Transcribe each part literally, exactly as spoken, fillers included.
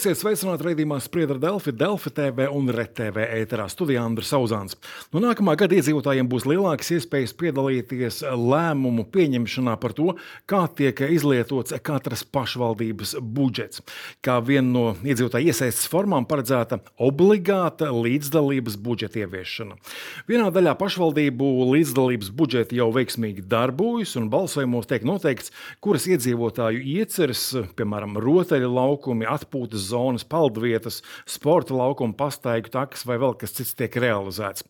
Esiet sveicināti raidījumā Spriedra Delfi, Delfi T V un Red T V ēterā. Studijā Andris Sauzāns. No nākamā gada iedzīvotājiem būs lielākas iespējas piedalīties lēmumu pieņemšanā par to, kā tiek izlietots katras pašvaldības budžets. Kā viena no iedzīvotāju iesaistes formām paredzēta obligāta līdzdalības budžeta ieviešana. Vienā daļā pašvaldību līdzdalības budžeti jau veiksmīgi darbojas un balsojumos tiek noteikts, kuras iedzīvotāju ieceres, piemēram, rotaļu laukumi, atpūtas zonas, peldvietas, sporta laukuma, pastaigu takas vai vēl kas cits tiek realizēts.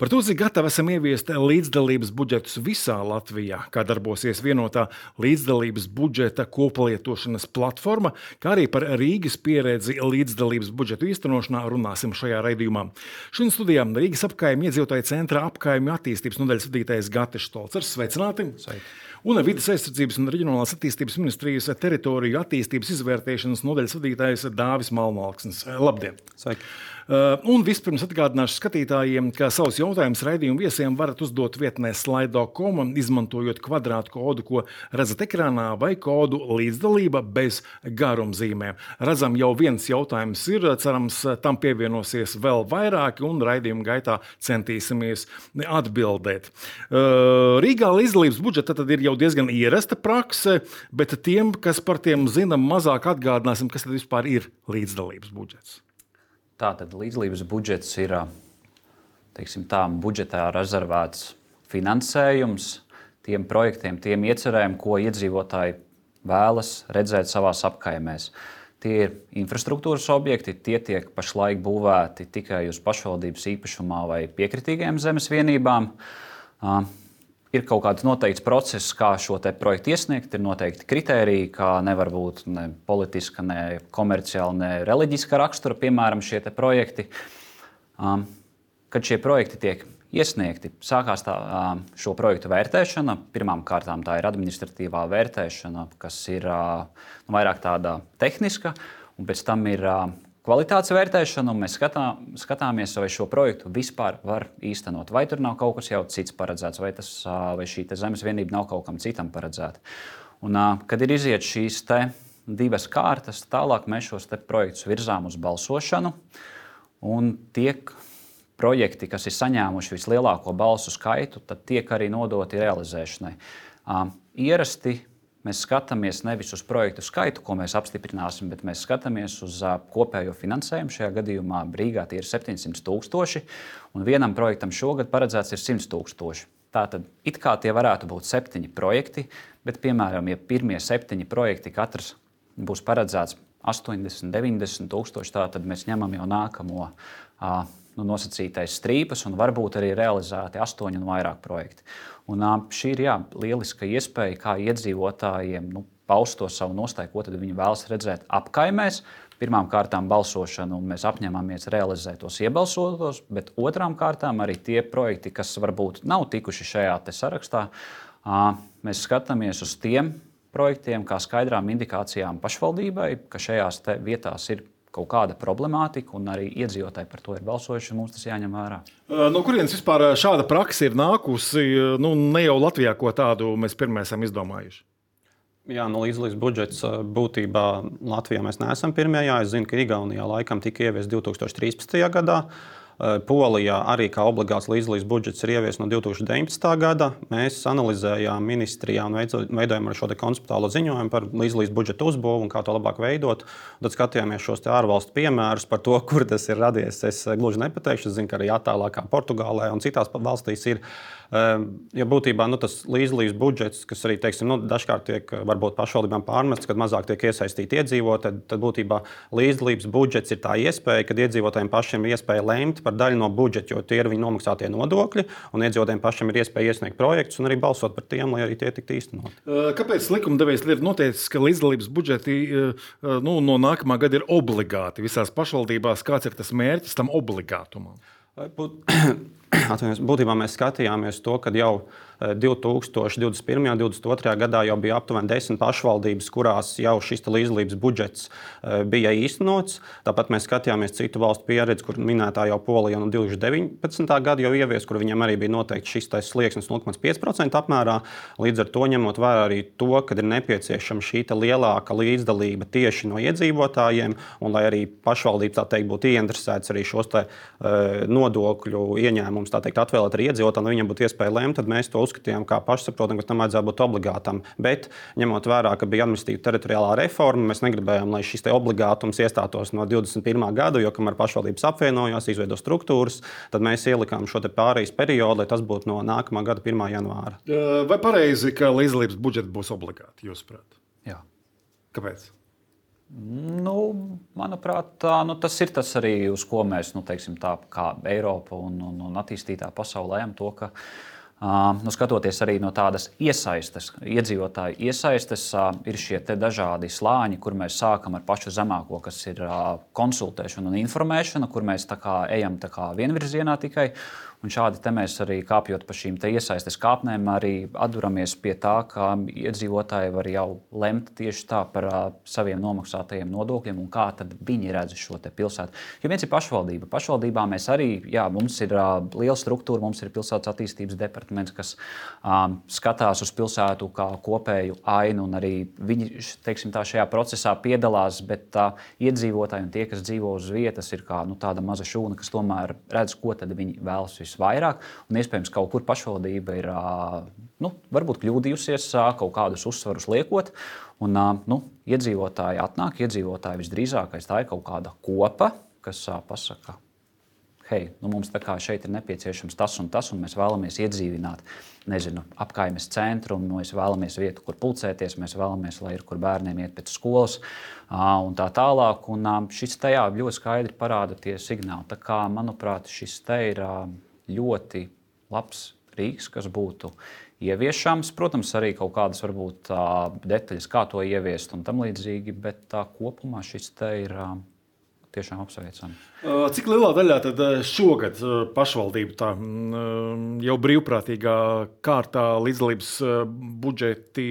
Par to, cik gatavi esam ieviest līdzdalības budžetus visā Latvijā, kā darbosies vienotā līdzdalības budžeta koplietošanas platforma, kā arī par Rīgas pieredzi līdzdalības budžetu īstenošanā runāsim šajā raidījumā. Šodien studijā Rīgas apkaimju iedzīvotāju centra apkaimju attīstības nodaļas vadītājs Gatis Štolcers. Sveicināti! Sveiki! Un Vides aizsardzības un reģionālās attīstības ministrijas teritoriju attīstības izvērtēšanas nodaļas vadītājs Dāvis Malmalksnis. Labdien! Sveiki! Uh, un vispirms atgādināšu skatītājiem, ka savus jautājumus raidījumu viesiem varat uzdot vietnē slide dot com, izmantojot kvadrātu kodu, ko redzat ekrānā, vai kodu līdzdalība bez garumzīmēm. Redzam, jau viens jautājums ir, cerams, tam pievienosies vēl vairāki, un raidījuma gaitā centīsimies atbildēt. Uh, Rīgā līdzdalības budžeta tad ir jau diezgan ierasta prakse, bet tiem, kas par tiem zina mazāk, atgādināsim, kas tad vispār ir līdzdalības budžets. Tātad līdzdalības budžets ir, teiksim tā, budžetā rezervēts finansējums tiem projektiem, tiem iecerēm, ko iedzīvotāji vēlas redzēt savās apkaimēs. Tie ir infrastruktūras objekti, tie tiek pašlaik būvēti tikai uz pašvaldības īpašumā vai piekritīgajām zemes vienībām. Ir kaut kāds noteikts process, kā šo te projektu iesniegt, ir noteikti kritēriji, kā nevar būt ne politiska, ne komerciāla, ne reliģiska rakstura, piemēram, šie te projekti. Um, kad šie projekti tiek iesniegti, sākās tā, um, šo projektu vērtēšana. Pirmām kārtām tā ir administratīvā vērtēšana, kas ir uh, nu, vairāk tāda tehniska, un pēc tam ir uh, kvalitātes vērtēšana, un mēs skatā, skatāmies, vai šo projektu vispār var īstenot. Vai tur nav kaut kas jau cits paredzēts, vai, tas, vai šī zemes vienība nav kaut kam citam paredzēta. Un, kad ir iziet šīs te divas kārtas, tālāk mēs šos te projektus virzām uz balsošanu, un tiek projekti, kas ir saņēmuši vislielāko balsu skaitu, tad tiek arī nodoti realizēšanai. Ierasti mēs skatāmies nevis uz projektu skaitu, ko mēs apstiprināsim, bet mēs skatāmies uz uh, kopējo finansējumu. Šajā gadījumā Rīgā tie ir septiņsimt tūkstoši, un vienam projektam šogad paredzēts ir simt tūkstoši. Tātad it kā tie varētu būt septiņi projekti, bet, piemēram, ja pirmie septiņi projekti katrs būs paredzēts astoņdesmit, deviņdesmit tūkstoši, tātad mēs ņemam jau nākamo uh, nu, nosacītais strīpas un varbūt arī realizēti astoņi un vairāk projekti. Un šī ir jā, lieliska iespēja, kā iedzīvotājiem nu, paust to savu nostāju, ko tad viņi vēlas redzēt apkaimēs. Pirmām kārtām balsošanu, un mēs apņemamies realizēt tos iebalsotos, bet otrām kārtām arī tie projekti, kas varbūt nav tikuši šajā te sarakstā, mēs skatāmies uz tiem projektiem kā skaidrām indikācijām pašvaldībai, ka šajās te vietās ir kaut kāda problemātika, un arī iedzīvotāji par to ir balsojuši, un mums tas jāņem vērā. No kurienes vispār šāda praksa ir nākusi? Nu, ne jau Latvijā, ko tādu mēs pirmie esam izdomājuši. Jā, no līdzdalības budžets būtībā Latvijā mēs neesam pirmie. Jā, es zinu, ka Igaunijā laikam tika ieviests divi tūkstoši trīspadsmitajā gadā. Polijā arī kā obligāts līdzdalības budžets ir ieviests no divi tūkstoši deviņpadsmitā gada. Mēs analizējām ministrijā un veidojām ar šo te konceptuālo ziņojumu par līdzdalības budžeta uzbūvu un kā to labāk veidot. Un tad skatījāmies šos te ārvalstu piemērus par to, kur tas ir radies. Es gluži nepateikšu, es zinu, ka arī attālākā Portugālē un citās valstīs ir. Ja būtībā nu, tas līdzdalības budžets, kas arī teiksim, nu, dažkārt tiek varbūt pašvaldībām pārmests, kad mazāk tiek iesaistīti iedzīvotāji, tad, tad būtībā līdzdalības budžets ir tā iespēja, kad iedzīvotājiem pašiem ir iespēja lemt par daļu no budžeta, jo tie ir viņu nomaksātie nodokļi, un iedzīvotājiem pašiem ir iespēja iesniegt projektus un arī balsot par tiem, lai arī tie tiktu īstenoti. Kāpēc likumdevējs ir noteicis, ka līdzdalības budžeti nu, no nākamā gada ir obligāti visās pašvaldībās? Kāds ir tas mērķis tam obligātumam? būtībā mēs skatījāmies to, ka jau divi tūkstoši divdesmit pirmajā un divdesmit otrajā gadā jau bija aptuveni desmit pašvaldības, kurās jau šis līdzdalības budžets bija īstenots. Tāpat mēs skatījāmies citu valstu pieredzi, kur minētā jau Polija no divi tūkstoši deviņpadsmitā gada jau ievies, kur viņiem arī bija noteikti šis slieksnis nulle komats pieci procenti apmērā. Līdz ar to ņemot vērā arī to, ka ir nepieciešama šī lielāka līdzdalība tieši no iedzīvotājiem, un lai arī pašvaldības tā teikt būtu ieinteresētas arī šos te, uh, nodokļu ieņēmumus tā teikt atvēlēt arī iedzīvotājiem, lai viņiem būtu iespēja lemt, tad mēs to uzskatījām kā pašsaprotam, ka tam vajadzētu būt obligātam. Bet, ņemot vērā, ka bija administratīva teritoriālā reforma, mēs negribējām, lai šis obligātums iestātos no divdesmit pirmā gada, jo kamēr pašvaldības apvienojās, izveido struktūras, tad mēs ielikām šo pārejas periodu, lai tas būtu no nākamā gada pirmā janvāra. Vai pareizi, ka līdzdalības budžets būs obligāti, jūsuprāt? Jā. Kāpēc? Nu, manuprāt, tā, nu, tas ir tas arī, uz ko mēs, nu, teiksim, tā, kā Eiropa un, un, un attīstītā pasaulē ejam to, ka Uh, nu, skatoties arī no tādas iesaistes, iedzīvotāju iesaistes, uh, ir šie dažādi slāņi, kur mēs sākam ar pašu zemāko, kas ir uh, konsultēšana un informēšana, kur mēs tā kā ejam tā kā vienvirzienā tikai. Un šādi te mēs arī kāpjot pa šīm iesaistes kāpnēm, arī atduramies pie tā, ka iedzīvotāji var jau lemt tieši tā par uh, saviem nomaksātajiem nodokļiem un kā tad viņi redz šo te pilsētu. Jo viens ir pašvaldība. Pašvaldībā mēs arī, jā, mums ir uh, liela struktūra, mums ir pilsētas attīstības departaments, kas um, skatās uz pilsētu kā kopēju ainu, un arī viņi, teiksim tā, šajā procesā piedalās, bet uh, iedzīvotāji un tie, kas dzīvo uz vietas, ir kā nu, tāda maza šūna, kas tomēr redz, ko tad viņi vēlas vairāk, un iespējams kaut kur pašvaldība ir nu, varbūt kļūdījusies, kaut kādus uzsvarus liekot, un nu, iedzīvotāji atnāk, iedzīvotāji visdrīzākais tā ir kaut kāda kopa, kas pasaka, hei, nu, mums tā kā šeit ir nepieciešams tas un tas, un mēs vēlamies iedzīvināt, nezinu, apkaimes centru, un mēs vēlamies vietu, kur pulcēties, mēs vēlamies, lai ir, kur bērniem iet pēc skolas, un tā tālāk, un šis tajā ļoti skaidri parāda tie signāli. Tā kā, manuprāt, šis te ir ļoti labs rīks, kas būtu ieviešams. Protams, arī kaut kādas varbūt detaļas, kā to ieviest un tam līdzīgi, bet tā, kopumā šis te ir tiešām apsveicami. Cik lielā daļā tad šogad pašvaldība tā jau brīvprātīgā kārtā līdzdalības budžeti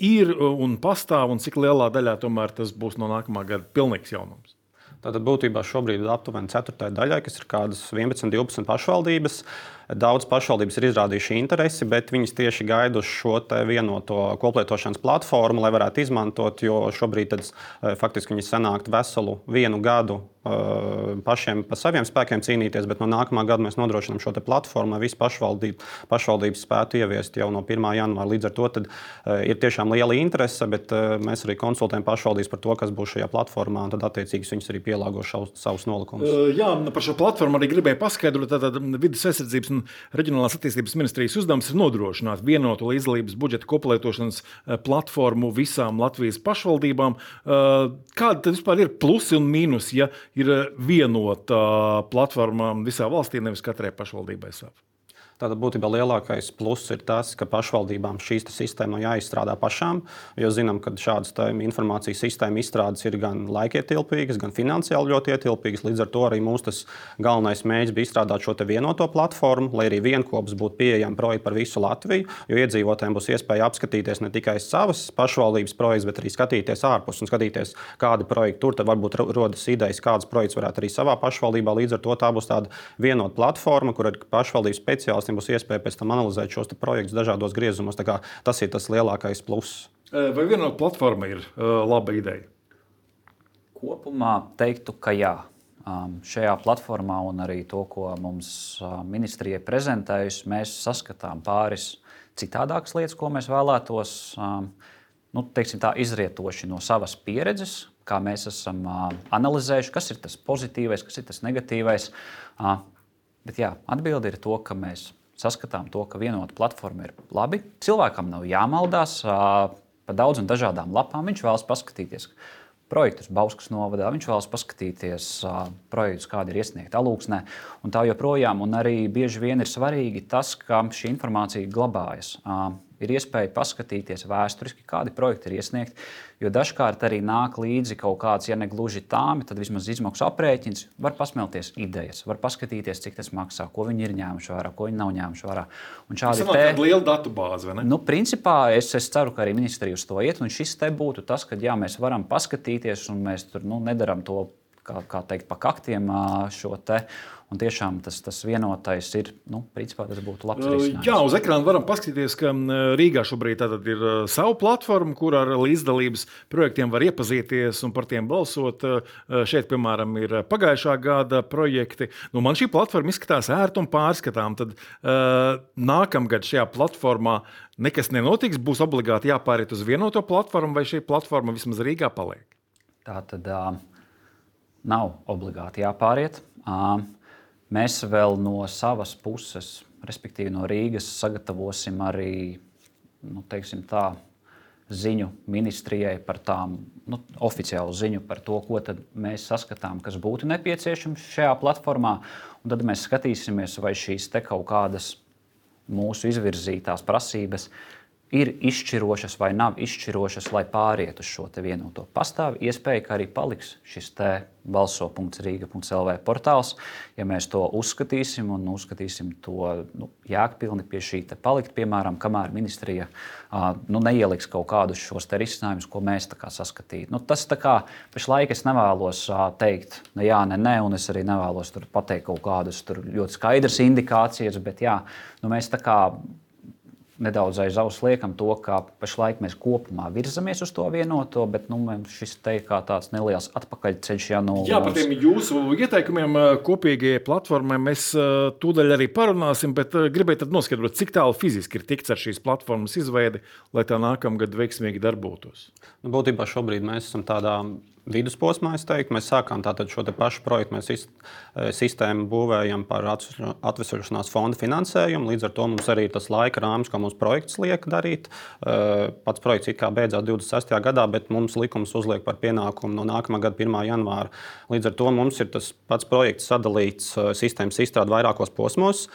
ir un pastāv, un cik lielā daļā tomēr tas būs no nākamā gada pilnīgs jaunums? Tātad būtībā šobrīd ir aptuveni ceturtajai daļai, kas ir kādas vienpadsmit, divpadsmit pašvaldības. Daudz pašvaldības ir izrādījuši interesi, bet viņas tieši gaida uz šo vienoto koplietošanas platformu, lai varētu izmantot, jo šobrīd tad, faktiski viņi sanākt veselu vienu gadu pašiem pa saviem spēkiem cīnīties, bet no nākamā gada mēs nodrošinām šo platformu, lai visi pašvaldība, pašvaldības spētu ieviest jau no pirmā janvāra. Līdz ar to tad, ir tiešām liela interese, bet mēs arī konsultējam pašvaldības par to, kas būs šajā platformā, un tad attiecīgi viņas arī pielāgo šaus, savus nolikumus. Jā, par šo platformu arī gribēju paskaidrot. Tātad Vides aizsardzības un Reģionālās attīstības ministrijas uzdevums ir nodrošināt vienotu līdzdalības budžeta koplietošanas platformu visām Latvijas pašvaldībām. Kādi tad vispār ir plusi un mīnusi, ja ir vienota platforma visā valstī, nevis katrai pašvaldībai savu? Tātad būtībā lielākais pluss ir tas, ka pašvaldībām šīs sistēmas jāizstrādā pašām, jo zinām, ka šādas informācijas sistēma izstrādes ir gan laikietilpīgas, gan finansiāli ļoti ietilpīgas. Līdz ar to arī mūsu galvenais mērķis bija izstrādāt šo vienoto platformu, lai arī vienkops būtu pieejami projekti par visu Latviju, jo iedzīvotājiem būs iespēja apskatīties ne tikai savas pašvaldības projekts, bet arī skatīties ārpus un skatīties, kādi projekti tur, tad varbūt rodas idejas, kādas projekts varētu arī savā pašvaldībā. Līdz ar to tā būs tāda vienota platforma, kur ir pašvaldības speciālisti būs iespēja pēc tam analizēt šos projektus dažādos griezumos. Tas ir tas lielākais pluss. Vai vienota platforma ir uh, laba ideja? Kopumā teiktu, ka jā. Um, šajā platformā un arī to, ko mums uh, ministrija prezentējusi, mēs saskatām pāris citādākas lietas, ko mēs vēlētos um, nu, teiksim tā, izrietoši no savas pieredzes, kā mēs esam uh, analizējuši, kas ir tas pozitīvais, kas ir tas negatīvais. Uh, Bet jā, atbilde ir to, ka mēs saskatām to, ka vienota platforma ir labi. Cilvēkam nav jāmaldās pa daudz un dažādām lapām. Viņš vēlas paskatīties projektus Bauskas novadā, viņš vēlas paskatīties projektus, kādi ir iesniegti Alūksnē, un tā joprojām. Un arī bieži vien ir svarīgi tas, ka šī informācija glabājas. ir iespēja paskatīties vēsturiski, kādi projekti ir iesniegti. Jo dažkārt arī nāk līdzi kaut kāds, ja ne gluži tāmi, tad vismaz izmaksu aprēķins. Var pasmelties idejas, var paskatīties, cik tas maksā, ko viņi ir ņēmuši vērā, ko viņi nav ņēmuši vērā. Un šādi te... tāda liela datu bāze, vai ne? Nu, principā es, es ceru, ka arī ministrija uz to iet, un šis te būtu tas, ka jā, mēs varam paskatīties, un mēs tur nu, nedaram to, kā, kā teikt, pa kaktiem šo te. Un tiešām tas, tas vienotais ir, nu, principā tas būtu labs risinājums. Jā, uz ekrāna varam paskatīties, ka Rīgā šobrīd ir savu platformu, kur ar līdzdalības projektiem var iepazīties un par tiem balsot. Šeit, piemēram, ir pagājušā gada projekti. Nu, man šī platforma izskatās ērta un pārskatām. Tad uh, nākamgad šajā platformā nekas nenotiks, būs obligāti jāpāriet uz vienoto platformu, vai šī platforma vismaz Rīgā paliek? Tā tad uh, nav obligāti jāpāriet. Uh, Mēs vēl no savas puses, respektīvi no Rīgas, sagatavosim arī nu, teiksim tā, ziņu ministrijai par tām, nu, oficiālu ziņu par to, ko tad mēs saskatām, kas būtu nepieciešams šajā platformā. Un tad mēs skatīsimies, vai šīs te kaut kādas mūsu izvirzītās prasības ir izšķirošas vai nav izšķirošas, lai pāriet uz šo te vienoto. Pastāv iespēja, ka arī paliks šis te balso punkts rīga punkts el vē portāls. Ja mēs to uzskatīsim un uzskatīsim to nu, jēgpilni pie šī te palikt, piemēram, kamēr ministrija uh, nu, neieliks kaut kādus šos te risinājumus, ko mēs tā kā saskatītu. Nu, tas tā kā pašlaik es nevēlos uh, teikt, ne jā, ne nē, un es arī nevēlos tur pateikt kaut kādas tur ļoti skaidras indikācijas, bet jā, nu, mēs tā kā nedaudz aiz auss liekam to, ka pašlaik mēs kopumā virzamies uz to vienoto, bet nu, šis te kā tāds neliels atpakaļceļš jānolūdz. Jā, par tiem jūsu ieteikumiem kopīgajai platformai mēs tūdaļ arī parunāsim, bet gribēju tad noskaidrot, cik tālu fiziski ir tikts ar šīs platformas izveidi, lai tā nākamgad veiksmīgi darbotos. Nu, būtībā šobrīd mēs esam tādā vidusposmā, es teiktu. Mēs sākām tātad šo te pašu projektu, mēs sistēmu būvējam par atvesaļošanās fonda finansējumu. Līdz ar to mums arī ir tas laika rāmis, ko mums projekts liek darīt. Pats projekts it kā beidzās divdesmit sestajā gadā, bet mums likums uzliek par pienākumu no nākamā gada pirmā janvāra. Līdz ar to mums ir tas pats projekts sadalīts sistēmas izstrāde vairākos posmos.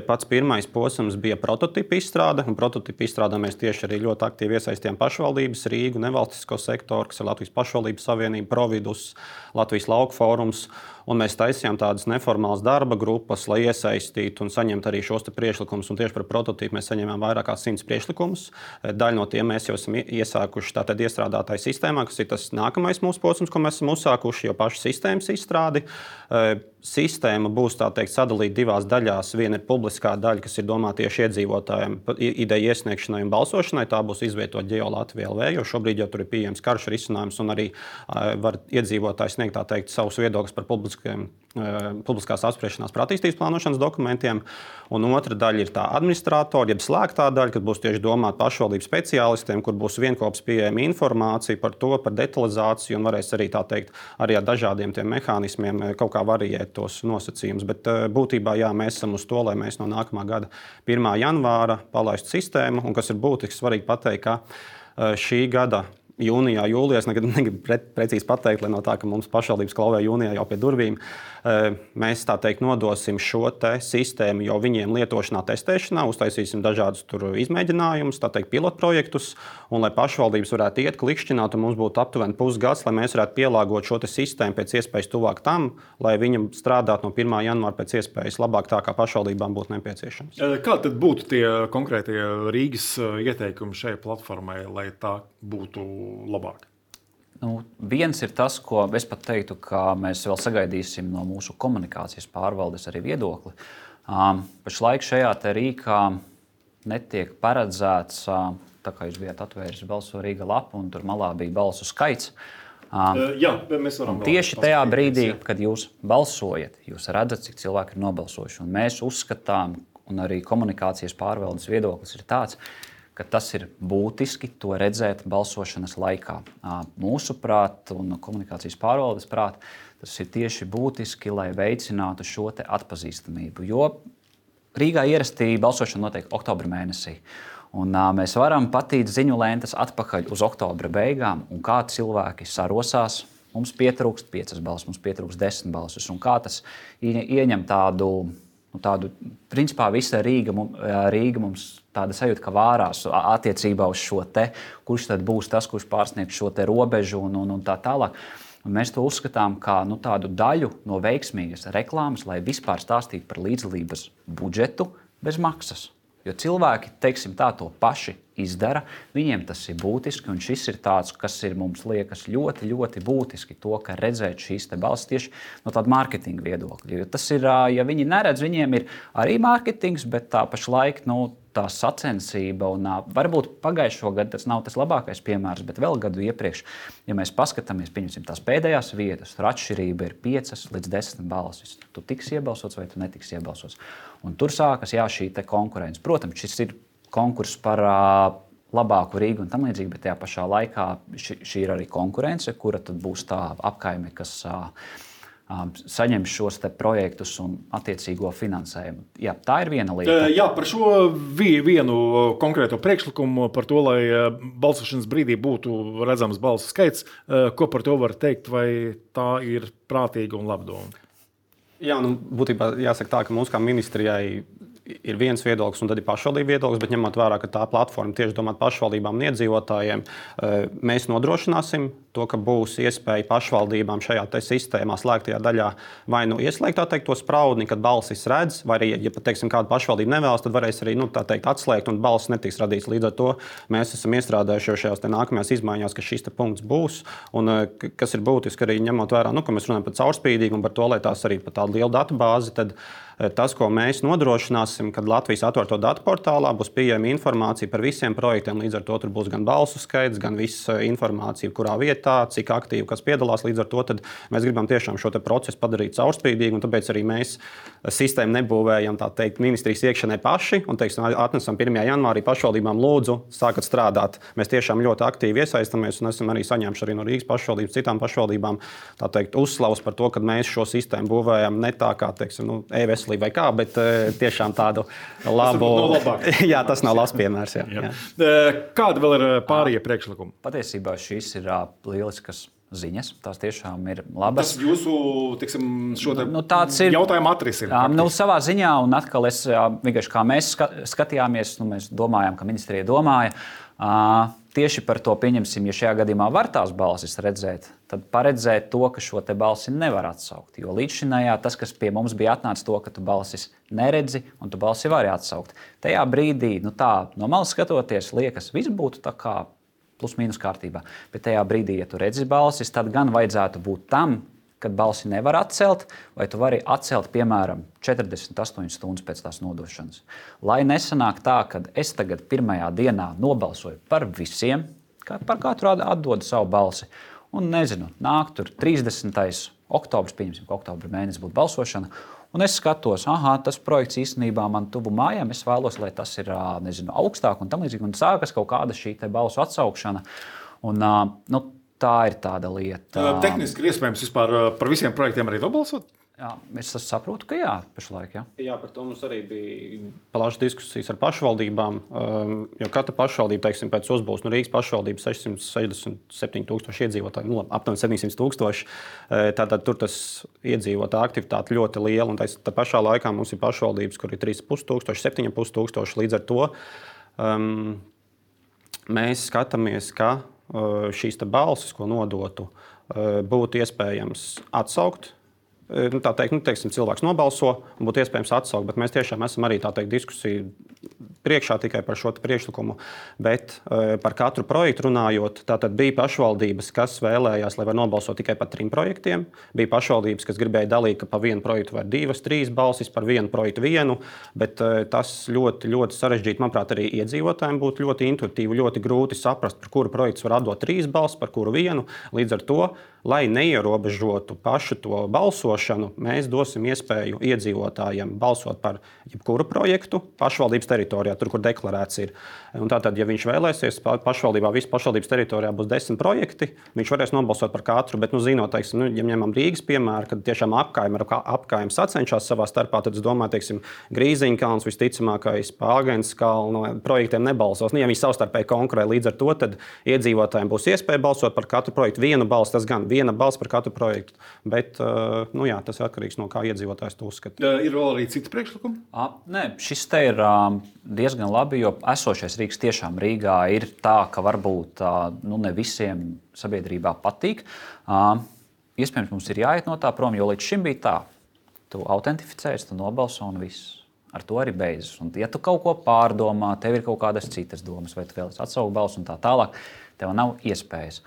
Pats pirmais posms bija prototipa izstrāde, un prototipa izstrādē mēs tieši arī ļoti aktīvi iesaistījām pašvaldības, Rīgu, nevalstisko sektoru, kas ir Latvijas pašvaldības savienība, Providus, Latvijas lauku fórums, un mēs taisījām tādas neformālas darba grupas, lai iesaistītu un saņemtu arī šos priekšlikumus. Un tieši par prototīpu mēs saņēmām vairāk kā simts priekšlikumus. Daļu no tiem mēs jau esam iesākuši tātad iestrādātāju sistēmā, kas ir tas nākamais mūsu posms, ko mēs esam uzsākuši, jau pašu sistēmas izstrādi. Sistēma būs tā teikt sadalīta divās daļās. Viena ir publiskā daļa, kas ir domāta tieši iedzīvotājiem, ideju iesniegšanai un balsošanai. Tā būs izvietota Geo Latvija el vē, jo šobrīd jau tur ir pieejams karš risinājums un arī var iedzīvotāji sniegt tā teikt savus viedokļus par publiskiem, publiskās apspriešanās par attīstības plānošanas dokumentiem. Un otra daļa ir tā administratora, jeb slēgtā daļa, kas būs tieši domāta pašvaldības speciālistiem, kur būs vienkops pieejama informācija par to, par detalizāciju un varēs arī tā teikt arī ar dažādiem tiem mehānismiem kaut kā variēt tos nosacījumus. Bet būtībā jā, mēs esam uz to, lai mēs no nākamā gada pirmā janvāra palaistu sistēmu, un kas ir būtiski svarīgi pateikt, ka šī gada jūnijā, jūlijā, es negribu, negribu pre, precīzi pateikt, lai no tā, ka mums pašvaldības klauvē jūnijā jau pie durvīm, mēs tā teikt nodosim šo te sistēmu jau viņiem lietošanā, testēšanā, uztaisīsim dažādus tur izmēģinājumus, tā teikt pilotprojektus, un lai pašvaldības varētu iet klikšķināt, un mums būtu aptuveni pusgads, lai mēs varētu pielāgot šo te sistēmu pēc iespējas tuvāk tam, lai viņam strādātu no pirmā janvāra pēc iespējas labāk tā, kā pašvaldībām būtu nepieciešams. Kā tad būtu tie konkrētie Rīgas ieteikumi šai platformai, lai tā būtu labāk? Nu, viens ir tas, ko es pat teiktu, ka mēs vēl sagaidīsim no mūsu komunikācijas pārvaldes arī viedokli. Um, pašlaik šajā te Rīgā netiek paredzēts, uh, tā kā jūs bijāt atvēris Balso Rīga lapu un tur malā bija balsu skaits. Um, uh, jā, mēs varam tieši tajā brīdī, jā. Kad jūs balsojat, jūs redzat, cik cilvēki ir nobalsojuši. Un mēs uzskatām, un arī komunikācijas pārvaldes viedoklis ir tāds, ka tas ir būtiski to redzēt balsošanas laikā. Mūsuprāt, un komunikācijas pārvaldes prāt, tas ir tieši būtiski, lai veicinātu šo te atpazīstamību. Jo Rīgā ierastī balsošana notiek oktobra mēnesī. Un mēs varam patīt ziņu lentes atpakaļ uz oktobra beigām, un kā cilvēki sarosās. Mums pietrūkst piecas balsis, mums pietrūkst desmit balsis. Un kā tas ieņem tādu nu, tādu, principā visa Rīga, Rīga mums tāda sajūta, ka vārās attiecībā uz šo te, kurš tad būs tas, kurš pārsniegs šo te robežu un, un, un tā tālāk. Un mēs to uzskatām kā nu, tādu daļu no veiksmīgas reklāmas, lai vispār stāstītu par līdzdalības budžetu bez maksas. Jo cilvēki, teiksim tā, to paši izdara, viņiem tas ir būtiski, un šis ir tāds, kas ir mums liekas ļoti, ļoti būtiski, to, ka redzēt šīs te balsis tieši no tāda mārketinga viedokļa. Jo tas ir, ja viņi neredz, viņiem ir arī mārketings, bet tā pašlaik, nu, tā sacensība, un varbūt pagājušo gadu tas nav tas labākais piemērs, bet vēl gadu iepriekš, ja mēs paskatāmies, pieņemsim tās pēdējās vietas, tur atšķirība ir piecas līdz desmit balsis. Tu tiksi iebalsots vai tu netiksi iebalsots. Un tur sākas, jā, šī te konkurence. Protams, šis ir konkurss par uh, labāku Rīgu un tam līdzīgi, bet tajā pašā laikā ši, šī ir arī konkurence, kura tad būs tā apkaime, kas uh, uh, saņems šos te projektus un attiecīgo finansējumu. Jā, tā ir viena lieta. Jā, par šo vienu konkrēto priekšlikumu, par to, lai balsošanas brīdī būtu redzams balsu skaits, ko par to var teikt, vai tā ir prātīga un laba doma? Jā, nu, būtībā jāsaka tā, ka mums kā ministrijai ir viens viedoklis un tad ir pašvaldību viedoklis, bet ņemot vērā, ka tā platforma tieši domāt pašvaldībām un iedzīvotājiem, mēs nodrošināsim to, ka būs iespēja pašvaldībām šajā te sistēmā slēgtajā daļā vai nu ieslēgt tā teikt to spraudni, kad balsis redz, vai arī, ja pat teiksim kāda pašvaldība nevēlas, tad varēs arī, nu, tā teikt, atslēgt un balsis netiks radīts. Līdz ar to mēs esam iestrādājuši jau šajās te nākamajās izmaiņās, ka šis te punkts būs, un kas ir būtiski arī ņemot vērā, nu, ka mēs runājam par caurspīdīgumu, par to, lai tās arī par tādu lielu datubāzi, tad tas, ko mēs nodrošināsim, kad Latvijas atvērto datu portālā būs pieejama informācija par visiem projektiem, līdz ar to tur būs gan balsu skaits, gan visa informācija, kurā vietā, cik aktīvi kas piedalās. Līdz ar to tad mēs gribam tiešām šo te procesu padarīt caurspīdīgu, un tāpēc arī mēs sistēmu nebūvējam, tā teikt, ministrijas iekšienē paši, un, teiksim, atnesam pirmajā janvārī pašvaldībām lūdzu, sākat strādāt. Mēs tiešām ļoti aktīvi iesaistamies, un esam arī saņēmuši arī no Rīgas pašvaldības, citām pašvaldībām, tā teikt, uzslavas par to, ka mēs šo sistēmu būvējam ne tā kā, teiksim, nu, e-veselība vai kā, bet tiešām tādu labu. Tas jā, tas nav labs piemērs. Jā. Jā. Kāda vēl ir pārējie priekšlikumi? Patiesībā šīs ir lieliskas ziņas. Tās tiešām ir labas. Tas jūsu, tiksim, šo te nu, ir, jautājumu atrisina. Nu, savā ziņā, un atkal es vienkārši kā mēs skatījāmies, nu, mēs domājām, ka ministrija domāja, tieši par to pieņemsim, ja šajā gadījumā var tās balsis redzēt, tad paredzēt to, ka šo te balsi nevar atsaukt. Jo līdzšinējā tas, kas pie mums bija atnācis to, ka tu balsis neredzi un tu balsi vari atsaukt. Tajā brīdī, nu tā, no malas skatoties, liekas, viss būtu tā kā plus mīnus kārtībā. Bet tajā brīdī, ja tu redzi balsis, tad gan vajadzētu būt tam, kad balsi nevar atcelt, vai tu vari atcelt, piemēram, četrdesmit astoņas stundas pēc tās nodošanas. Lai nesanāk tā, ka es tagad pirmajā dienā nobalsoju par visiem, par katru atdodu savu balsi, un nezinu, nāk tur trīsdesmitais oktobris, pieņemsim, ka oktobra mēnesis būtu balsošana, un es skatos, aha, tas projekts īstenībā man tuvu mājām, es vēlos, lai tas ir, nezinu, augstāk un tam līdzīgi, un sākas kaut kāda šī te balsu atsaukšana, un, nu, tā ir tāda lieta. Tehniski ir iespējams vispār par visiem projektiem arī nobalsot? Jā, es saprotu, ka jā, pašlaik, jā. Jā, par to mums arī bija plašas diskusijas ar pašvaldībām, jo katra pašvaldība, teiksim, pēc uzbūves, nu, Rīgas pašvaldība sešsimt sešdesmit septiņi tūkstoši iedzīvotāji, nu, aptuveni septiņsimt tūkstoši, tātad tur tas iedzīvotāja aktivitāte ļoti liela, un tā pašā laikā mums ir pašvaldības, kur ir trīs ar pus tūkstoši, septiņi ar pus tūkstoši, līdz ar to um, mēs skatāmies, ka šīs balsis, ko nodotu, būtu iespējams atsaukt. Nu, tā teikt, nu, teiksim, cilvēks nobalso un būtu iespējams atsaukt, bet mēs tiešām esam arī tā teikt diskusiju priekšā tikai par šo priekšlikumu, bet uh, par katru projektu runājot, tātad bija pašvaldības, kas vēlējās, lai var nobalsot tikai par trim projektiem, bija pašvaldības, kas gribēja dalīt, ka pa vienu projektu var divas, trīs balsis, par vienu projektu vienu, bet uh, tas ļoti, ļoti sarežģīti, manuprāt, arī iedzīvotājiem būtu ļoti intuitīvi, ļoti grūti saprast, par kuru projektu var atdot trīs balsis, par kuru vienu, līdz ar to, lai neierobežotu pašu to balsošanu, mēs dosim iespēju iedzīvotājiem balsot par jebkuru projektu pašvaldības teritorijā. tur, kur deklarēts ir. Un tātad, ja viņš vēlēsies, pašvaldībā, visas pašvaldības teritorijā būs desmit projekti, viņš varēs nobalsot par katru, bet, nu, zinot, teiksim, nu, ja ņemam Rīgas piemēru, kad tiešām apkaimi ar apkaimi sacenšās savā starpā, tad es domāju, teiksim, Grīziņkalns visticamākais, Pāgens kalna projektiem nebalsos. Nu, ja viņi savstarpēji konkurē, līdz ar to, tad iedzīvotājiem būs iespēja balsot par katru projektu. Vienu balsu, tas gan viena balss par katru projektu, bet, nu jā, tas ir atkarīgs no kā iedzīvotājs to uzskata. Ir vēl arī citi priekšlikumi? Nē, šis te ir diezgan labi, jo esošais Rīgas tiešām Rīgā ir tā, ka varbūt nu, ne visiem sabiedrībā patīk. Iespējams, mums ir jāiet no tā prom, jo līdz šim bija tā. Tu autentificējies, tu nobalso un viss. Ar to arī beidzas. Un, ja tu kaut ko pārdomā, tev ir kaut kādas citas domas, vai tu vēlies atsaukt balsu un tā tālāk, tev nav iespējas.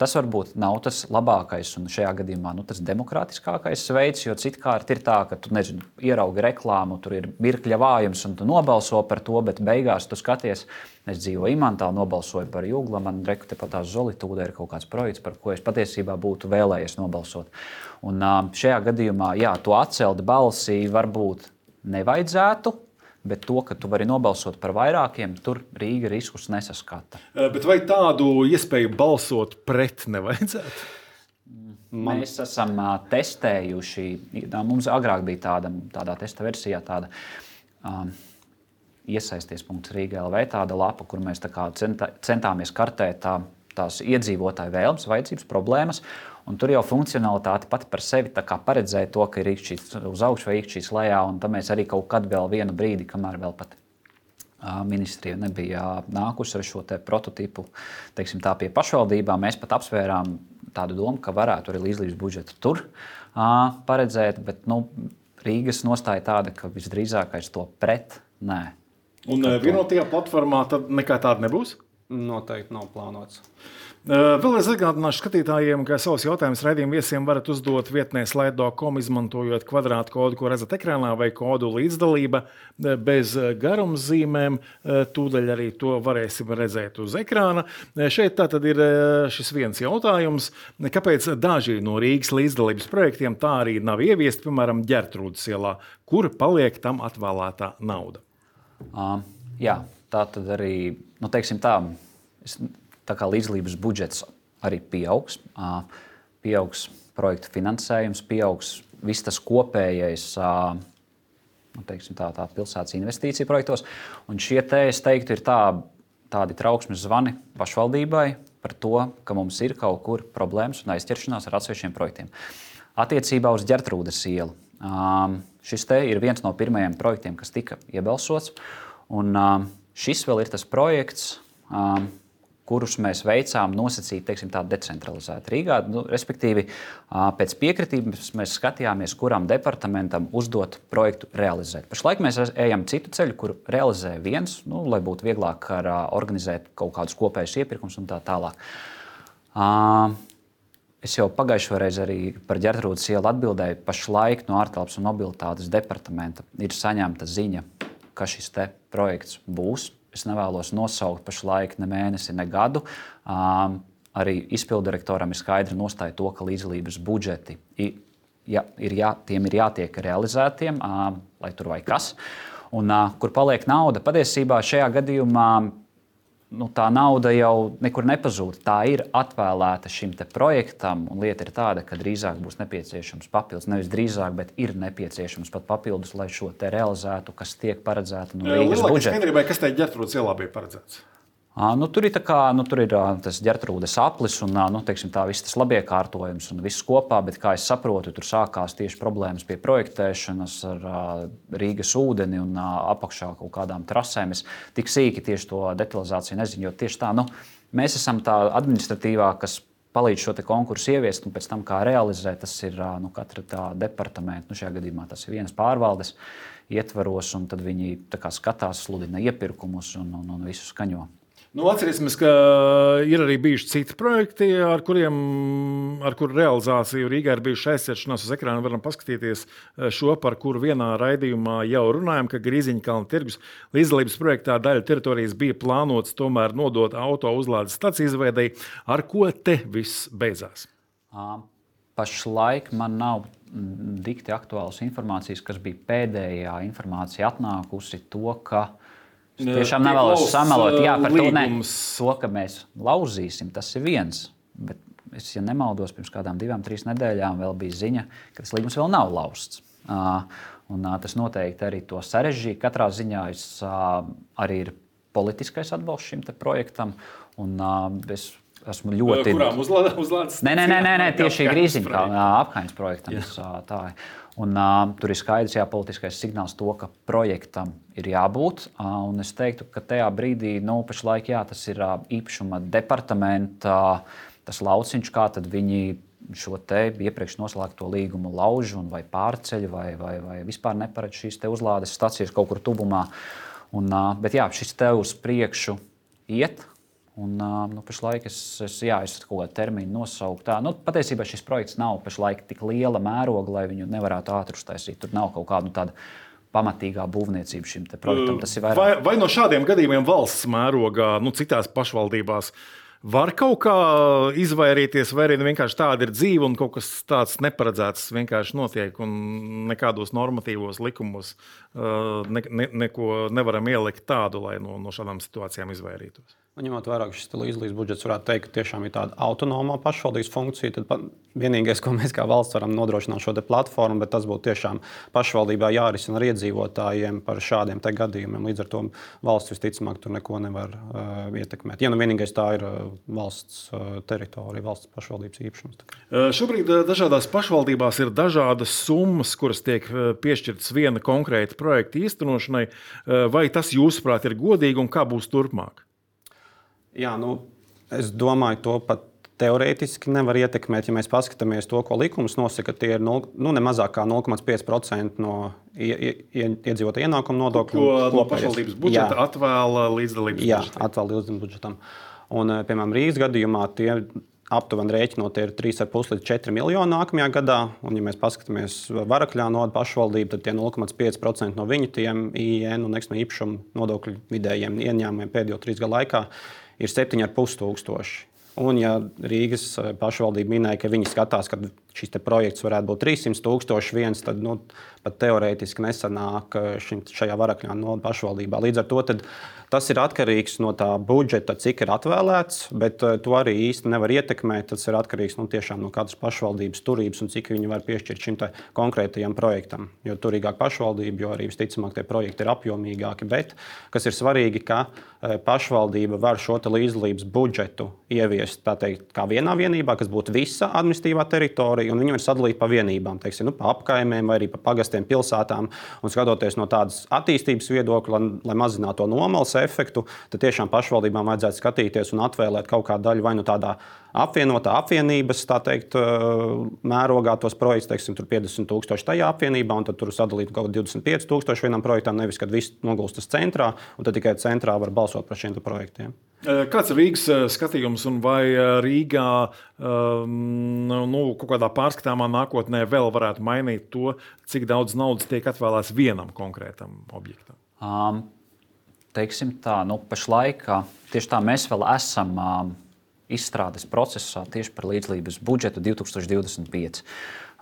Tas varbūt nav tas labākais un šajā gadījumā nu, tas demokrātiskākais veids, jo citkārt ir tā, ka tu nezinu, ieraugi reklāmu, tur ir mirkļa vājums un tu nobalso par to, bet beigās tu skaties, es dzīvoju Imantā, nobalsoju par Jugla, man reku tepat tās Zolitūda ir kaut kāds projekts, par ko es patiesībā būtu vēlējies nobalsot. Un šajā gadījumā, jā, to atcelt balsī varbūt nevajadzētu, bet to, ka tu vari nobalsot par vairākiem, tur Rīga riskus nesaskata. Bet vai tādu iespēju balsot pret nevajadzētu? Man... Mēs esam testējuši, mums agrāk bija tāda, tādā testa versijā tāda um, iesaisties punkts Rīga L V, tāda lapa, kur mēs tā kā centā, centāmies kartēt tā, tās iedzīvotāju vēlmes, vajadzības, problēmas. Un tur jau funkcionalitāte pati par sevi paredzēja to, ka ir īkšķis uz augšu vai īkšķis lejā, un tam mēs arī kaut kad vēl vienu brīdi, kamēr vēl pat ministrija nebija nākusi ar šo te prototipu, teiksim tā, pie pašvaldībām, mēs pat apsvērām tādu domu, ka varētu arī līdzlības budžetu tur uh, paredzēt, bet nu, Rīgas nostāja tāda, ka visdrīzākais to pret, nē. Un vienotajā platformā tad nekā tāda nebūs? Noteikti nav plānots. Vēl es atgādināšu skatītājiem, ka savus jautājumus raidījuma viesiem varat uzdot vietnē slaido dot com, izmantojot kvadrātu kodu, ko redzat ekrānā, vai kodu līdzdalība bez garumzīmēm. Tūdaļ arī to varēsim redzēt uz ekrāna. Šeit tā tad ir šis viens jautājums. Kāpēc daži no Rīgas līdzdalības projektiem tā arī nav ieviesti, piemēram, Ģertrūdes ielā, kur paliek tam atvēlētā nauda? Uh, jā, tā tad arī, nu teiksim tā, es... Tā kā līdzlības budžets arī pieaugs, pieaugs projektu finansējums, pieaugs viss tas kopējais nu, teiksim, tā, tā pilsētas investīcija projektos. Un šie te, es teiktu, ir tā, tādi trauksmes zvani pašvaldībai par to, ka mums ir kaut kur problēmas un aizķeršanās ar atsevišķiem projektiem. Attiecībā uz Ģertrūdes ielu. Šis te ir viens no pirmajiem projektiem, kas tika iebalsots. Un šis vēl ir tas projekts, kurus mēs veicām nosacīt, teiksim, tā decentralizēti Rīgā. Nu, respektīvi, pēc piekritības mēs skatījāmies, kuram departamentam uzdot projektu realizēt. Pašlaik mēs ejam citu ceļu, kur realizē viens, nu, lai būtu vieglāk ar, organizēt kaut kādus kopējus iepirkumus un tā tālāk. Es jau pagājušo reizi arī par Ģertrūdes ielu atbildēju. Pašlaik no ārtelpas un mobilitātes departamenta ir saņemta ziņa, ka šis te projekts būs. Es nevēlos nosaukt pašlaik ne mēnesi, ne gadu. Um, arī izpildirektoram ir skaidri nostāja to, ka līdzdalības budžeti ir, ja, ir jā, tiem ir jātiek realizētiem, um, lai tur vai kas. Un, uh, kur paliek nauda, patiesībā šajā gadījumā nu, tā nauda jau nekur nepazūd. Tā ir atvēlēta šim te projektam, un lieta ir tāda, ka drīzāk būs nepieciešams papildus. Nevis drīzāk, bet ir nepieciešams pat papildus, lai šo te realizētu, kas tiek paredzēta no Rīgas budžeta. Skaidrībai, kas te Ģertrūdes ielā bija paredzēts? Nu, tur ir, kā, nu, tur ir tas Ģertrūdes aplis un nu, teiksim, tā, viss tas labiekārtojums un viss kopā, bet, kā es saprotu, tur sākās tieši problēmas pie projektēšanas ar uh, Rīgas ūdeni un uh, apakšā kaut kādām trasēm. Es tik sīki tieši to detalizāciju nezinu, jo tieši tā, nu, mēs esam tā administratīvā, kas palīdz šo te konkursu ieviest, un pēc tam, kā realizēt, tas ir uh, nu, katra tā departamenta, nu, šajā gadījumā tas ir vienas pārvaldes ietvaros, un tad viņi tā kā skatās, sludina iepirkumus un, un, un visu skaņo. Nu, atcerēsimies, ka ir arī bijuši citi projekti, ar kuriem, ar kuru realizāciju Rīgā ir bijuši aizķeršanās. Uz ekrāna varam paskatīties šo, par kuru vienā raidījumā jau runājam, ka Grīziņkalna tirgus līdzdalības projektā daļa teritorijas bija plānots tomēr nodot auto uzlādes staciju izveidei. Ar ko te viss beidzās? Pašlaik man nav dikti aktuālas informācijas, kas bija pēdējā informācija atnākusi, to, ka es tiešām nevēlos samelot, jā, par to, ne, to, ka mēs lauzīsim, tas ir viens, bet es, ja nemaldos, pirms kādām divām, trīs nedēļām vēl bija ziņa, ka tas līgums vēl nav lausts. Un tas noteikti arī to sarežģīja. Katrā ziņā es, arī ir politiskais atbalsts šim te projektam, un es esmu ļoti... Kurām uzlādes? Nē, nē, nē, nē, tieši Grīziņkalna apkaimes projektam. Tā. Un, uh, tur ir skaidrs, jā, politiskais signāls to, ka projektam ir jābūt. Uh, un es teiktu, ka tajā brīdī, nu, pašlaik, jā, tas ir uh, īpašuma departamenta, uh, tas lauciņš, kā tad viņi šo te iepriekš noslēgto līgumu lauž un vai pārceļ, vai, vai, vai vispār neparedz šīs te uzlādes stacijas kaut kur tuvumā. Un, uh, bet jā, šis te uz priekšu iet. Un, nu, pašlaik es, es, jā, es kaut kādu terminu nosauku. Tā, nu, patiesībā šis projekts nav pašlaik tik liela mēroga, lai viņu nevarētu ātri uztaisīt. Tur nav kaut kāda nu, tāda pamatīgā būvniecība šim te projektam. Tas ir vairāk... vai, vai no šādiem gadījumiem valsts mērogā, nu, citās pašvaldībās, var kaut kā izvairīties, vai arī vienkārši tāda ir dzīve un kaut kas tāds neparedzēts vienkārši notiek un nekādos normatīvos likumos ne, ne, neko nevaram ielikt tādu, lai no, no šādām situācijām izvairītos? Un ņemot vērā, ka šis līdzlīdz budžets varētu teikt, ka tiešām ir tāda autonoma pašvaldības funkcija, tad vienīgais, ko mēs kā valsts varam nodrošināt šo te platformu, bet tas būtu tiešām pašvaldībā jārisina ar iedzīvotājiem par šādiem te gadījumiem. Līdz ar to valsts visticamāk tur neko nevar uh, ietekmēt. Ja nu vienīgais tā ir uh, valsts uh, teritorija, valsts pašvaldības īpašums. Uh, šobrīd uh, dažādās pašvaldībās ir dažādas summas, kuras tiek uh, piešķirtas viena konkrēta projekta īstenošanai. Uh, vai tas, jūsuprāt, ir godīgi un kā būs turpmāk? Jā, nu, es domāju, to pat teorētiski nevar ietekmēt. Ja mēs paskatāmies to, ko likums nosaka, tie ir nu, ne mazāk kā nulle komats pieci procenti no iedzīvotāju ienākumu nodokļu. Ko no pašvaldības budžeta jā. atvēla līdzdalības jā, budžetam? Jā, atvēla līdzdalības budžetam. Un, piemēram, Rīgas gadījumā tie aptuveni rēķinot ir trīs komats pieci līdz četri miljoni nākamajā gadā. Un, ja mēs paskatāmies Varakļā no pašvaldību, tad tie nulle komats pieci procenti no viņu tiem I N un nekustamā īpašuma nodokļu vidējiem ieņēmumiem pēdējo trīs gadu laikā ir septiņi komats pieci tūkstoši. Un, ja Rīgas pašvaldība minēja, ka viņi skatās, ka šis projekts varētu būt trīssimti tūkstoši viens, tad nu, pat teorētiski nesanāk šim, šajā Varakļā no pašvaldībā. Līdz ar to tad, tas ir atkarīgs no tā budžeta, cik ir atvēlēts, bet to arī īsti nevar ietekmēt. Tas ir atkarīgs nu, tiešām no katras pašvaldības turības un cik viņi var piešķirt šim konkrētajam projektam. Jo turīgāk pašvaldība, jo arī visticamāk tie projekti ir apjomīgāki. Bet, kas ir svarīgi, ka pašvaldība var šo līdzdalības budžetu ieviest tā teikt, kā vienā vienībā, kas būtu visa administratīvā teritorija, un viņi var sadalīt pa vienībām, teiksim, nu, pa apkaimēm vai arī pa pagastiem, pilsētām. Un skatoties no tādas attīstības viedokļa, lai, lai mazinātu to nomalas efektu, tad tiešām pašvaldībām vajadzētu skatīties un atvēlēt kaut kādu daļu vai nu tādā apvienotā apvienības, tā teikt, mērogā tos projekts, teiksim, tur piecdesmit tūkstoši tajā apvienībā, un tad tur sadalīt kaut kā divdesmit pieci tūkstoši vienam projektam, nevis, kad viss nogulstas centrā, un tad tikai centrā var balsot par šiem projektiem. Kāds ir Rīgas skatījums, un vai Rīgā nu, kaut kādā pārskatāmā nākotnē vēl varētu mainīt to, cik daudz naudas tiek atvēlēts vienam konkrētam objektam? Um, teiksim tā, nu, pašlaik tieši tā mēs vēl esam um, izstrādes procesā tieši par līdzdalības budžetu divi tūkstoši divdesmit pieci.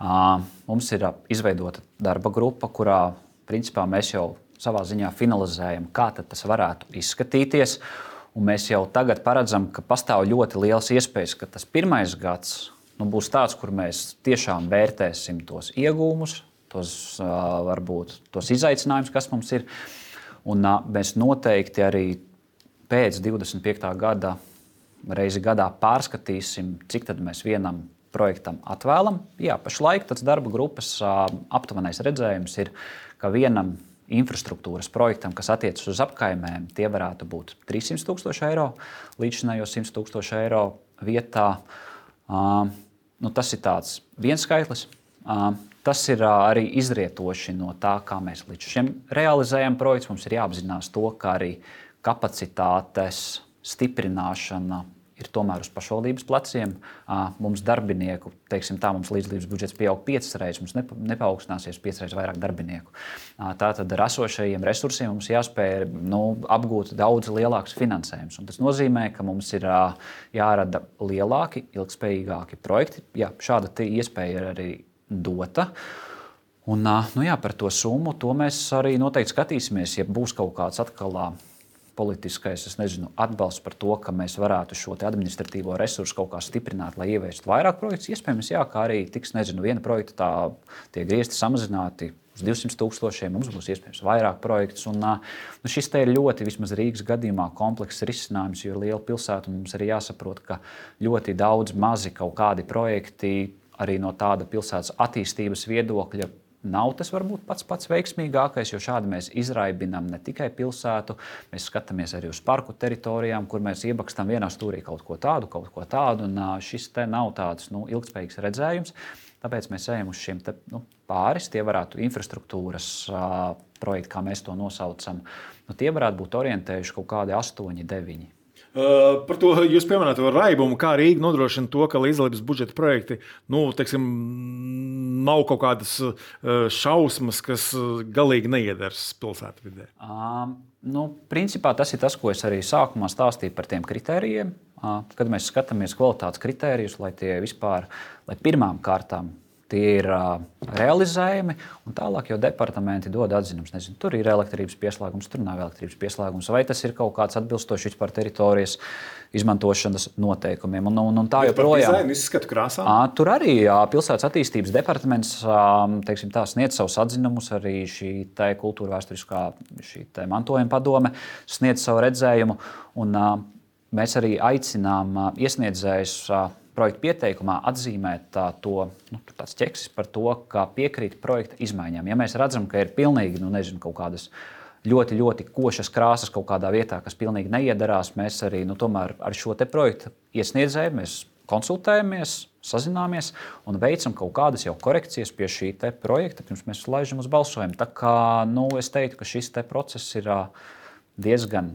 Uh, mums ir izveidota darba grupa, kurā principā mēs jau savā ziņā finalizējam, kā tad tas varētu izskatīties. Un mēs jau tagad paredzam, ka pastāv ļoti liels iespējas, ka tas pirmais gads nu, būs tāds, kur mēs tiešām vērtēsim tos iegūmus, tos, uh, varbūt, tos izaicinājumus, kas mums ir. Un uh, mēs noteikti arī pēc divdesmit piektā gada reizi gadā pārskatīsim, cik tad mēs vienam projektam atvēlam. Jā, pašlaik tas darba grupas uh, aptuvenais redzējums ir, ka vienam infrastruktūras projektam, kas attiecas uz apkaimēm, tie varētu būt trīssimti tūkstoši eiro, līdzinājos simt tūkstoši eiro vietā. Uh, nu, tas ir tāds viens skaitlis. Uh, tas ir uh, arī izrietoši no tā, kā mēs līdz šim realizējam projekts. Mums ir jāapzinās to, ka arī kapacitātes stiprināšana ir tomēr uz pašvaldības pleciem. Mums darbinieku, teiksim tā, mums līdzdalības budžets pieaug piecas reizes, mums nepaaugstāsies piecas reizes vairāk darbinieku. Tātad ar esošajiem resursiem mums jāspēj nu, apgūt daudz lielāks finansējums. Un tas nozīmē, ka mums ir jārada lielāki, ilgspējīgāki projekti. Jā, šāda iespēja ir arī dota. Un, nu jā, par to summu to mēs arī noteikti skatīsimies, ja būs kaut kāds atkal politiskais, es nezinu, atbalsts par to, ka mēs varētu šo administratīvo resursu kaut kā stiprināt, lai ieviestu vairāk projektus. Iespējams, jā, kā arī tiks, nezinu, viena projekta tā tie griezti samazināti uz divsimt tūkstošiem, mums būs iespējams vairāk projektus. Un, nu, šis te ir ļoti, vismaz Rīgas gadījumā, komplekss risinājums, jo ir liela pilsēta un mums arī jāsaprot, ka ļoti daudz mazi kaut kādi projekti arī no tāda pilsētas attīstības viedokļa nav tas varbūt pats pats veiksmīgākais, jo šādi mēs izraibinām ne tikai pilsētu, mēs skatāmies arī uz parku teritorijām, kur mēs iebakstam vienā stūrī kaut ko tādu, kaut ko tādu, un šis te nav tāds nu, ilgspējīgs redzējums. Tāpēc mēs ejam uz šiem te, nu, pāris, tie varētu infrastruktūras uh, projekti, kā mēs to nosaucam, nu, tie varētu būt orientējuši kaut kādi astoņi, deviņi. Uh, par to jūs pieminējāt raibumu, kā Rīga nodrošina to, ka līdzdalības budžeta projekti nu, teiksim, nav kaut kādas uh, šausmas, kas galīgi neiedars pilsētvidē. Uh, nu, principā tas ir tas, ko es arī sākumā stāstīju par tiem kritērijiem. Uh, kad mēs skatāmies kvalitātes kritērijus, lai tie vispār, lai pirmām kārtām tie ir uh, realizējami, un tālāk jau departamenti dod atzinumus. Nezinu, tur ir elektrības pieslēgums, tur nav elektrības pieslēgums, vai tas ir kaut kāds atbilstošs vispār teritorijas izmantošanas noteikumiem. Un, un, un tā joprojām. Dizainu, izskatu krāsām? À, tur arī jā, pilsētas attīstības departaments teiksim, tā, sniedz savus atzinumus, arī šī kultūra vēsturiskā šī mantojuma padome sniedz savu redzējumu. Un, uh, mēs arī aicinām uh, iesniedzējus uh, projekta pieteikumā atzīmēt tā, to nu, tāds ķeksis par to, ka piekrīt projekta izmaiņām. Ja mēs redzam, ka ir pilnīgi nu, nezinu, kaut kādas ļoti, ļoti košas krāsas kaut kādā vietā, kas pilnīgi neiedarās, mēs arī nu, tomēr ar šo te projektu iesniedzēju mēs konsultējamies, sazināmies un veicam kaut kādas jau korekcijas pie šī te projekta, pirms mēs laižam uz balsojumu. Tā kā nu, es teiktu, ka šis te process ir diezgan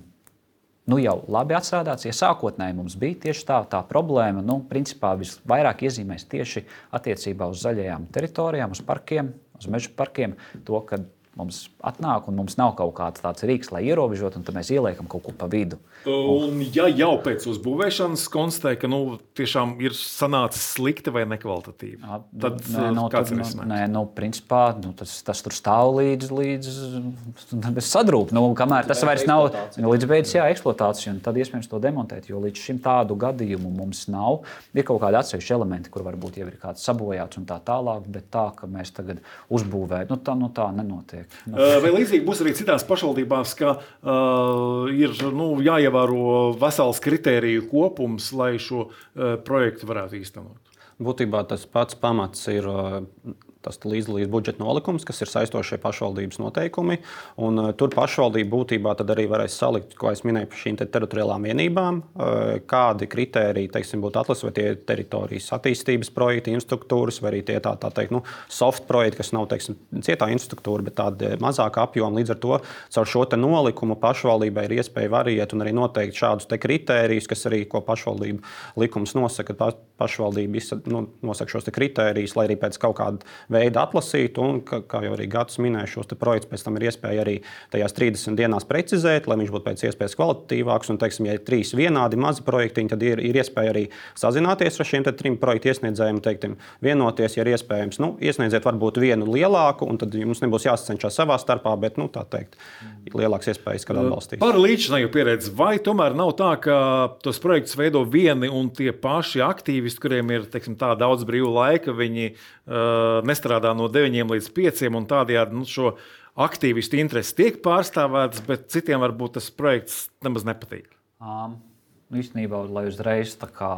nu jau labi atstrādāts. Ja sākotnēji mums bija tieši tā, tā problēma, nu, principā visvairāk iezīmēs tieši attiecībā uz zaļajām teritorijām, uz parkiem, uz meža parkiem, to, ka mums atnāk un mums nav kaut kāds tāds rīks, lai ierobežot, un tad mēs ieliekam kaut ko pa vidu. Un ja jau pēc uzbūvēšanas konstatē, ka nu, tiešām ir sanācis slikti vai nekvalitatīvi, Jā, tad nē, no, kāds tad, ir risinājums? Nē, nu, principā nu, tas, tas tur stāv līdz, līdz sadrūp, nu, kamēr tas vairs nav līdz beidzas, jā, eksploatācija, un tad iespējams to demontēt, jo līdz šim tādu gadījumu mums nav. Ir kaut kādi atsevišķi elementi, kur varbūt jau ir kāds sabojāts un tā tālāk, bet tā, ka mēs tagad uzbūvējam, nu, tā, nu, tā nenotiek. Vai līdzīgi būs arī citās pašvaldībās, ka uh, ir nu, jāievēro vesels kritēriju kopums, lai šo uh, projektu varētu īstenot? Būtībā tas pats pamats ir uh, tas līdzdalības budžeta nolikums, kas ir saistošie pašvaldības noteikumi. Un, uh, tur pašvaldība būtībā tad arī varēs salikt, ko es minēju par šīm te teritoriālām vienībām, uh, kādi kritēriji teiksim, būtu atlasīti, vai tie ir teritorijas attīstības projekti, infrastruktūras, vai arī tie tā, tā teikt, nu, soft projekti, kas nav teiksim, cietā infrastruktūra, bet tāda mazāka apjoma. Līdz ar to caur šo te nolikumu pašvaldībai ir iespēja variēt un arī noteikt šādus te kritērijus, kas arī, ko pašvaldība likums nosaka, pa, pašvaldība nu, nosaka šos te kritērijus, lai arī pēc kaut kāda veidu atlasīt, un, kā jau arī Gatis minēja, šos projektus pēc tam ir iespēja arī tajās trīsdesmit dienās precizēt, lai viņš būtu pēc iespējas kvalitatīvāks. Un, teiksim, ja ir trīs vienādi mazi projektiņi, tad ir, ir iespēja arī sazināties ar šiem trim projektu iesniedzējiem, teiktim, vienoties, ja ir iespējams. Nu, iesniedziet varbūt vienu lielāku, un tad jums nebūs jāsacenšas savā starpā, bet, nu, tā teikt, lielāks iespējas, kad atbalstīs. Par līdzinēju pieredzi, vai tomēr nav tā, ka tos projektus veido vieni un tie paši aktīvisti, kuriem ir, teiksim, tā daudz brīva laika, viņi uh, nestrādā no deviņiem līdz pieciem, un tādējādi nu, šo aktīvistu intereses tiek pārstāvētas, bet citiem varbūt tas projekts nemaz nepatīk? Um, īstenībā, lai uzreiz tā kā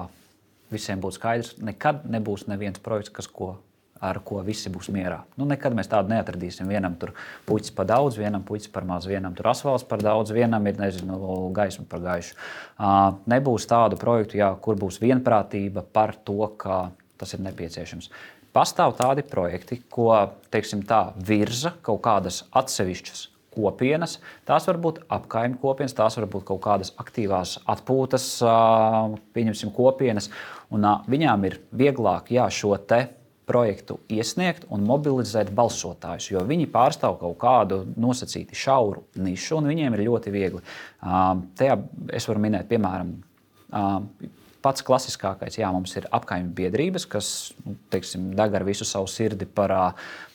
visiem būtu skaidrs, nekad nebūs neviens projekts, kas ko, ar ko visi būs mierā. Nu, nekad mēs tādu neatradīsim. Vienam tur puķis par daudz, vienam puķis par maz, vienam tur asfalts par daudz, vienam ir, nezinu, gaisma par gaišu. Uh, nebūs tādu projektu, jā, kur būs vienprātība par to, ka tas ir nepieciešams. Pastāv tādi projekti, ko teiksim, tā, virza kaut kādas atsevišķas kopienas. Tās var būt apkaimju kopienas, tās var būt kaut kādas aktīvās atpūtas pieņemsim, kopienas. Un, viņām ir vieglāk jā, šo te projektu iesniegt un mobilizēt balsotājus, jo viņi pārstāv kaut kādu nosacīti šauru nišu, un viņiem ir ļoti viegli. Tajā es varu minēt, piemēram, pats klasiskākais, jā, mums ir apkaimju biedrības, kas, nu, teiksim, deg ar visu savu sirdi par,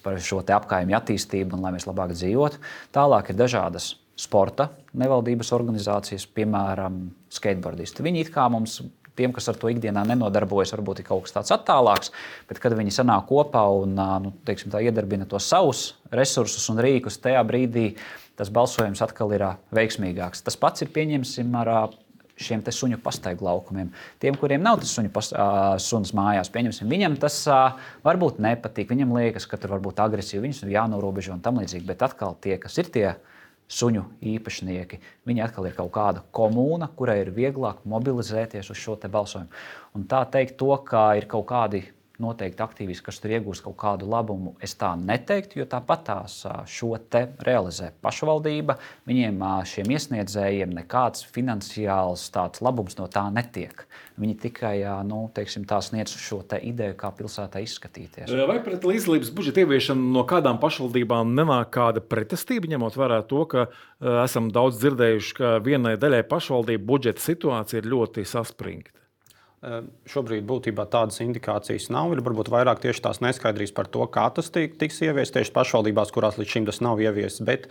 par šo te apkaimju attīstību un lai mēs labāk dzīvotu. Tālāk ir dažādas sporta nevaldības organizācijas, piemēram, skateboardisti. Viņi it kā mums, tiem, kas ar to ikdienā nenodarbojas, varbūt ir kaut kas tāds attālāks, bet kad viņi sanāk kopā un, nu, teiksim, tā iedarbina to savus resursus un rīkus, tajā brīdī tas balsojums atkal ir veiksmīgāks. Tas pats ir, pieņemsim, ar šiem te suņu pastaigu laukumiem. Tiem, kuriem nav tas suņu pas, uh, suns mājās, pieņemsim, viņam tas uh, varbūt nepatīk, viņam liekas, ka tur varbūt agresīvi, viņus ir jānorobežo un tam līdzīgi, bet atkal tie, kas ir tie suņu īpašnieki, viņi atkal ir kaut kāda komūna, kurai ir vieglāk mobilizēties uz šo te balsojumu. Un tā teikt to, ka ir kaut kādi noteikti aktīvisti, kas tur iegūst kaut kādu labumu, es tā neteiktu, jo tāpat tās šo te realizē pašvaldība. Viņiem, šiem iesniedzējiem, nekāds finansiāls tāds labums no tā netiek. Viņi tikai, nu, teiksim, tā sniedz šo te ideju, kā pilsētā izskatīties. Vai pret līdzdalības budžeta ieviešanu no kādām pašvaldībām nenāk kāda pretestība, ņemot vērā to, ka uh, esam daudz dzirdējuši, ka vienai daļai pašvaldību budžeta situācija ir ļoti saspringta? Šobrīd būtībā tādas indikācijas nav. Ir varbūt vairāk tieši tās neskaidrības par to, kā tas tiks ieviests tieši pašvaldībās, kurās līdz šim tas nav ieviests. Bet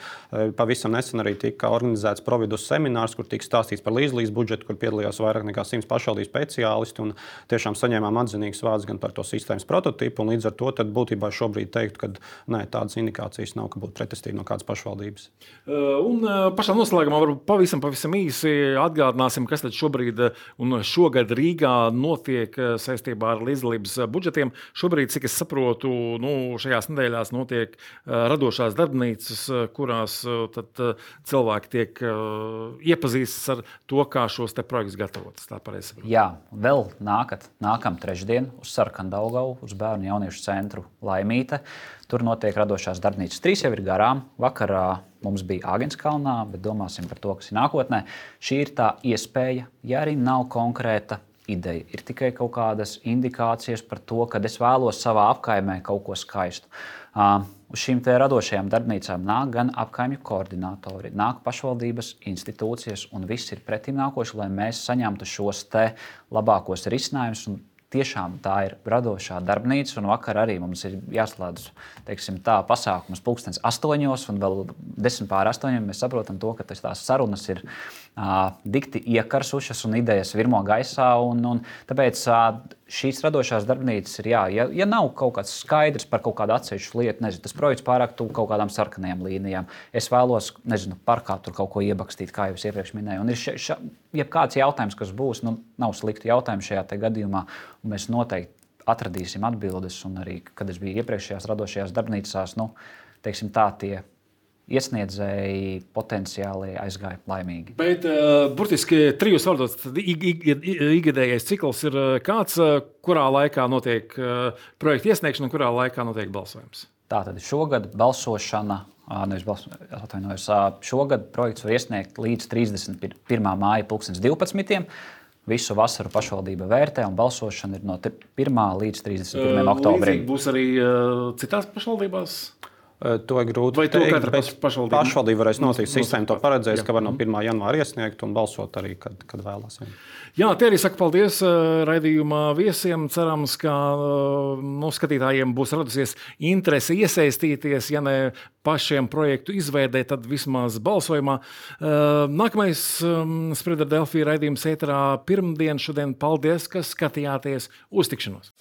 pavisam nesen arī tika organizēts Providus seminārs, kur tika stāstīts par līdzdalības budžetu, kur piedalījās vairāk nekā simts pašvaldības speciālisti. Un tiešām saņēmām atzinīgus vārdus gan par to sistēmas prototipu. Līdz ar to būtībā šobrīd teikt, ka nē, tādas indikācijas nav, ka būtu pretestība no kādas pašvaldības. Un pašā noslēgumā varbūt pavisam, pavisam īsi atgādināsim, kas tad šobrīd un šogad Rīgā notiek saistībā ar līdzdalības budžetiem. Šobrīd, cik es saprotu, nu, šajās nedēļās notiek radošās darbnīcas, kurās tad cilvēki tiek iepazīstas ar to, kā šos te projektus gatavotas. Tā pareizi saprotu. Jā, vēl nākat, nākam trešdien uz Sarkandaugavu, uz Bērnu jauniešu centru Laimīte. Tur notiek radošās darbnīcas. Trīs jau ir garām. Vakarā mums bija Āgenskalnā, bet domāsim par to, kas ir nākotnē. Šī ir tā iespēja, ja arī nav konkrēta ideja. Ir tikai kaut kādas indikācijas par to, ka es vēlos savā apkaimē kaut ko skaistu. Uh, uz šīm te radošajām darbnīcām nāk gan apkaimju koordinatori, nāk pašvaldības institūcijas, un viss ir pretim nākoši, lai mēs saņemtu šos te labākos risinājumus. Un tiešām tā ir radošā darbnīca, un vakar arī mums ir jāslēdz, teiksim, tā pasākums pulkstens astoņos, un vēl desmit pār astoņiem mēs saprotam to, ka tās sarunas ir uh, dikti iekarsušas un idejas virmo gaisā, un, un tāpēc uh, šīs radošās darbnīcas ir jā, ja, ja nav kaut kāds skaidrs par kaut kādu atsevišķu lietu, nezinu, tas projekts pārāk tuvu kaut kādām sarkanajām līnijām, es vēlos, nezinu, parkā tur kaut ko iebakstīt, kā jau es iepriekš minēju, un ir še, še, jebkāds jautājums, kas būs, nu, nav slikti jautājumi šajā te gadījumā, un mēs noteikti atradīsim atbildes, un arī, kad es biju iepriekšējās radošajās darbnīcās, nu, teiksim tā, tie iesniedzēji potenciāli aizgāja laimīgi. Bet uh, burtiski trijos vārdos ikgadējais cikls ir kāds, kurā laikā notiek uh, projekta iesniegšana un kurā laikā notiek balsojums? Tātad šogad balsošana, nevis balsošana, atvainojos, šogad projekts var iesniegt līdz trīsdesmit pirmā māja pulkstens divpadsmitiem. Visu vasaru pašvaldība vērtē, un balsošana ir no pirmā līdz trīsdesmit pirmajam oktobrim. Līdzīgi būs arī uh, citās pašvaldībās? To ir grūti Vai teikt, to bet pašvaldība, pašvaldība varēs nosīt sistēmu, to paredzēs, jā. ka var no pirmā janvāra iesniegt un balsot arī, kad, kad vēlas. Jā. Jā, tie arī saka paldies raidījuma viesiem. Cerams, ka no skatītājiem būs radusies interese iesaistīties, ja ne pašiem projektu izveidē, tad vismaz balsojumā. Nākamais Spriedra Delfī raidījums ēterā pirmdien šodien. Paldies, ka skatījāties. Uz tikšanos!